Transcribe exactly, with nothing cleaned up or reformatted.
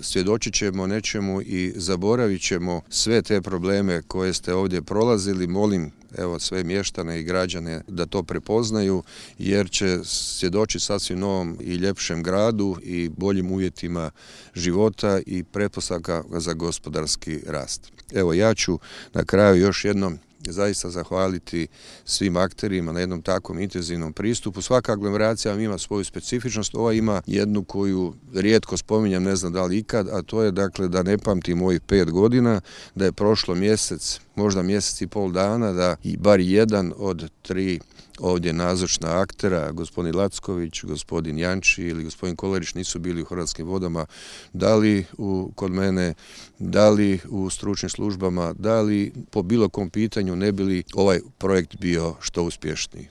Svjedočit ćemo nečemu i zaboravit ćemo sve te probleme koje ste ovdje prolazili. Molim evo sve mještane i građane da to prepoznaju, jer će svjedočiti sasvim novom i ljepšem gradu i boljim uvjetima života i pretpostavka za gospodarski rast. Evo, ja ću na kraju još jednom zaista zahvaliti svim akterima na jednom takvom intenzivnom pristupu. Svaka aglomeracija ima svoju specifičnost, ova ima jednu koju rijetko spominjem, ne znam da li ikad, a to je dakle da ne pamtim mojih pet godina, da je prošlo mjesec, možda mjesec i pol dana, da i bar jedan od tri ovdje nazočna aktera, gospodin Lacković, gospodin Janči ili gospodin Kolarić nisu bili u Hrvatskim vodama, da li u, kod mene, da li u stručnim službama, da li po bilo kom pitanju ne bi li ovaj projekt bio što uspješniji.